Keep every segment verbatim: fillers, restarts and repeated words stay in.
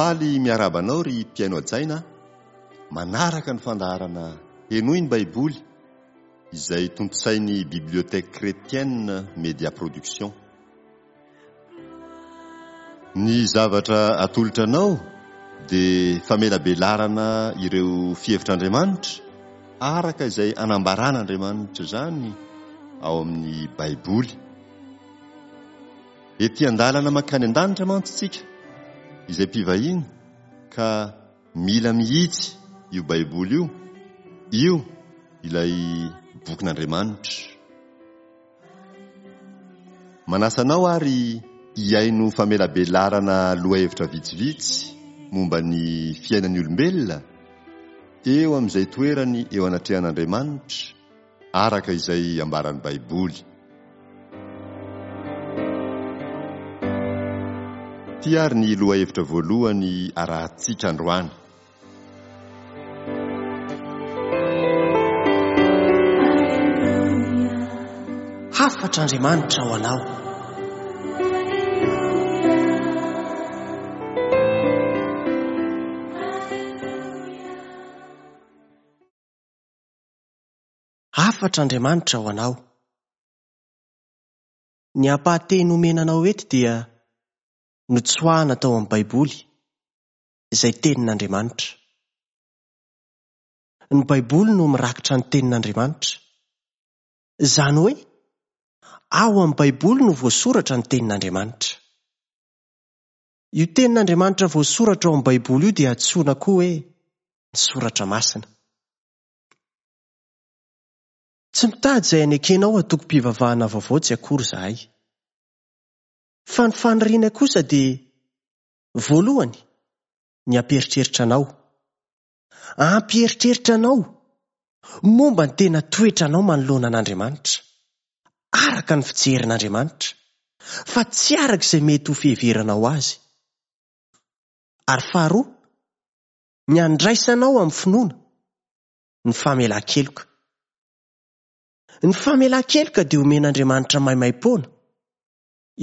Faly miarahaba anao ry mpihaino hajaina manaraka ny fandaharana Henoy ny Baiboly izay tontosain'ny Bibliothèque Chrétienne Média Production. Ny zavatra atolotra anao dia famelabelarana ireo fihevitr'Andriamanitra araka izay anambaran'Andriamanitra izany ao amin'ny Baiboly. Ety an-dalana mankany an-danitra mantsy isika izay mpivahiny ka mila mihitsy io Baiboly io, io ilay bokin'Andriamanitra. Manasa anao ary hihaino famelabelarana lohahevitra vitsivitsy momba ny fiainan'ny olombelona eo amin'izay toerany eo anatrehan'Andriamanitra araka izay ambaran'ny Baiboly. Ity ary ny lohahevitra voalohany arahantsika androany. Hafatr'Andriamanitra ho anao. Hafatr'Andriamanitra ho anao. Ny ampahateny omena anao eto dia notsoahana tao amin'ny Baiboly, izay tenin'Andriamanitra. Ny Baiboly no mirakitra ny tenin'Andriamanitra. Izany hoe, ao amin'ny Baiboly no voasoratra ny tenin'Andriamanitra. Io tenin'Andriamanitra voasoratra ao amin'ny Baiboly io dia antsoina koa hoe ny soratra masina. Tsy mitady izay hanekenao antokom-pivavahana vaovao tsy akory izahay. Fa ny faniriana kosa dia voalohany ny hampieritreritra anao. Hampieritreritra anao momba ny tena toetranao manoloana an'Andriamanitra, araka ny fijerin'Andriamanitra, fa tsy araka izay mety ho fiheveranao azy. Ary faharoa, ny handraisanao amin'ny finoana ny famelan-keloka. Ny famelan-keloka dia omen'Andriamanitra maimaim-poana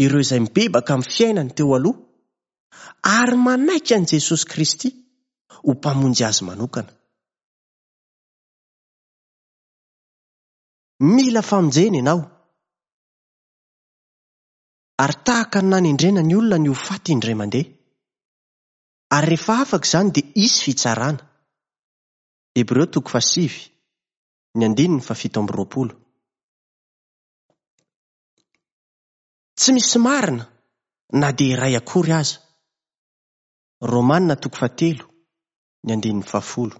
ireo izay mibebaka amin'ny fiainany teo aloha ary manaiky an'i Jesosy Kristy ho mpamonjy azy manokana. Mila famonjena ianao. Ary tahaka ny nanendrena ny olona ny ho faty indray mandeha. Ary rehefa afaka izany dia hisy fitsarana. Hebreo toko fahasivy, ny andininy fahafito amby roapolo. Tsy misy marina na dia iray akory aza. Romana toko fahatelo, ny andininy fahafolo.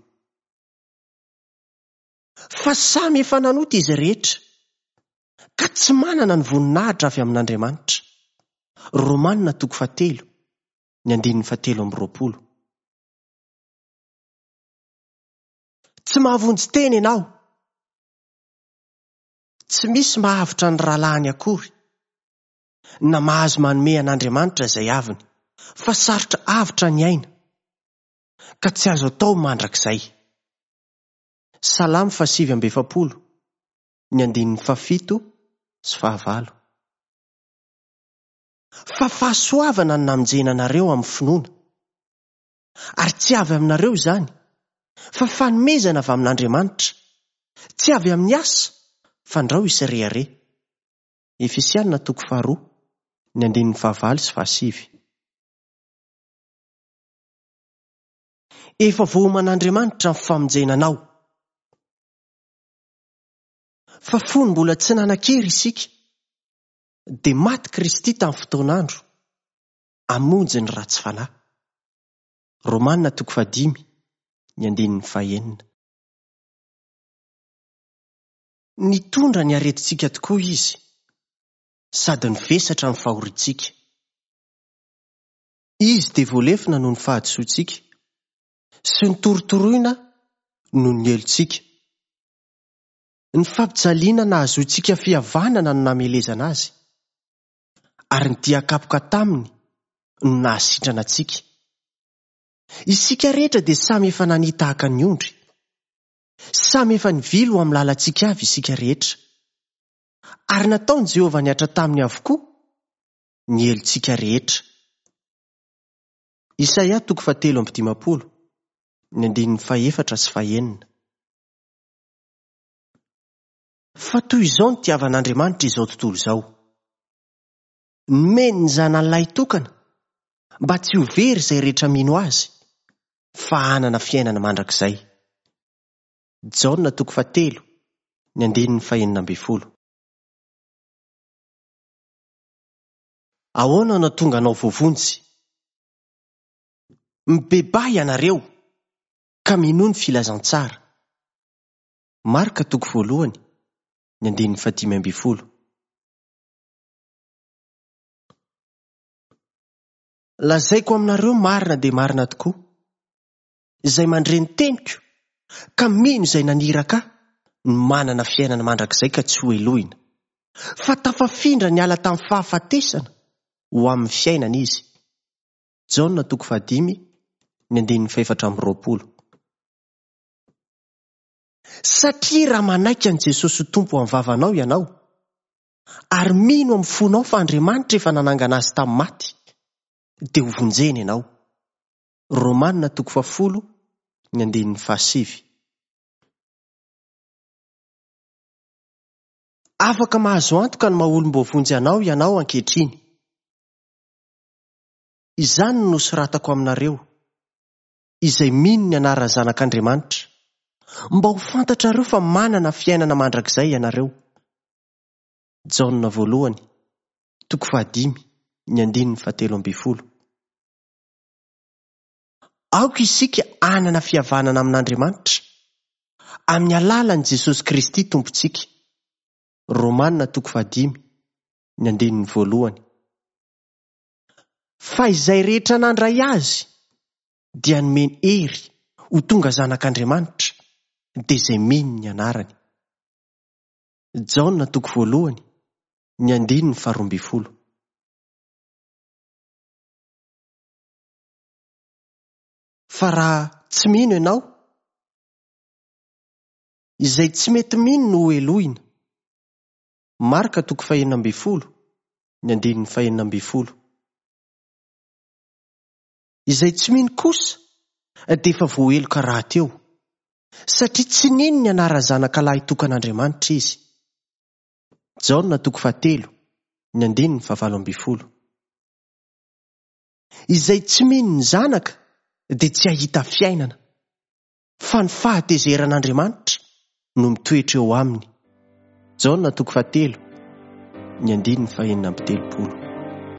Fa samy efa nanota izy rehetra, ka tsy manana ny voninahitra avy amin'Andriamanitra. Romana toko fahatelo, ny andininy fahatelo amby roapolo. Tsy mahavonjy tena ianao. Tsy misy mahavotra ny rahalahiny akory, na mahazo manome an'Andriamanitra izay aviny, fa sarotra avotra ny aina, ka tsy azo atao mandrakizay. Salamo fahasivy amby efapolo, ny andininy fahafito sy fahavalo. Fa fahasoavana no namonjena anareo amin'ny finoana, ary tsy avy aminareo izany, fa fanomezana avy amin'Andriamanitra, tsy avy amin'ny asa, fandrao hisy rehareha. Efesiana toko faharoa, ny andininy fahavalo sy fahasivy. Efa voaoman'Andriamanitra ny famonjena anao. Fa fony mbola tsy nanan-kery isika, dia maty Kristy tamin'ny fotoan'andro, hamonjy ny ratsy fanahy. Romana toko fahadimy, ny andininy fahenina. Nitondra ny aretintsika tokoa izy, sady nivesatra ny fahoriantsika. Izy dia voalefona noho ny fahadisoantsika sy notorotoroina noho ny helotsika. Ny fampijaliana nahazoantsika fihavanana no namelezana azy, ary ny dian-kapoka taminy no nahasitrana antsika. Isika rehetra dia samy efa nania tahaka ny ondry. Samy efa nivily ho amin'ny lalantsika avy isika rehetra. Ary nataon'i Jehovah nihatra taminy avokoa ny helotsika rehetra. Isaia toko fahatelo amby dimampolo, ny andininy fahefatra sy fahenina. Fa toy izao ny tiavan'Andriamanitra izao tontolo izao. Nomeny ny zanany lahy tokana mba tsy ho very izay rehetra mino azy, fa hanana fiainana mandrakizay. Jaona toko fahatelo, ny andininy fahenina ambin'ny folo. Ahoana no tonga anao voavonjy? Mibebaha ianareo ka minoa ny filazantsara. Marka toko voalohany, ny andininy fahadimy ambin'ny folo. Lazaiko aminareo marina dia marina tokoa, izay mandre ny teniko ka mino izay naniraka ahy no manana fiainana mandrakizay ka tsy ho helohina, fa tafafindra niala tamin'ny fahafatesana ho amin'ny fiainana izy. Jaona toko fahadimy, ny andininy fahefatra amby roapolo. Satria raha manaiky an'i Jesosy ho Tompo amin'ny vavanao ianao, ary mino amin'ny fonao fa Andriamanitra efa nanangana azy tamin'ny maty, dia ho vonjena ianao. Romanina toko fahafolo, ny andininy fahasivy. Afaka mahazo antoka ny maha-olom-boavonjy anao ianao ankehitriny. Izany no nosoratako aminareo, izay mino ny anaran'ny Zanak'Andriamanitra, mba ho fantatrareo fa manana fiainana mandrakizay ianareo. Jaona voalohany, toko fahadimy, ny andininy fahatelo ambin'ny folo. Aoka isika hanana fihavanana amin'Andriamanitra, amin'ny alalan'i Jesosy Kristy Tompontsika. Romanina toko fahadimy, ny andininy voalohany. Fa izay rehetra nandray azy dia nomeny hery ho tonga zanak'Andriamanitra, dia izay mino ny anarany. Jaona toko voalohany, ny andininy faharoa ambin'ny folo. Fa raha tsy mino ianao, izay tsy mety mino no ho helohina. Marka toko fahenina ambin'ny folo, ny andininy fahenina ambin'ny folo. Izay tsy mino kosa dia efa voaheloka rahateo, satria tsy nino ny anaran'ny zanaka lahy tokan'Andriamanitra izy. Jaona toko fahatelo, ny andininy fahavalo ambin'ny folo. Izay tsy mino ny zanaka dia tsy hahita fiainana, fa ny fahatezeran'Andriamanitra no mitoetra eo aminy. Jaona toko fahatelo, ny andininy fahenina amby telopolo.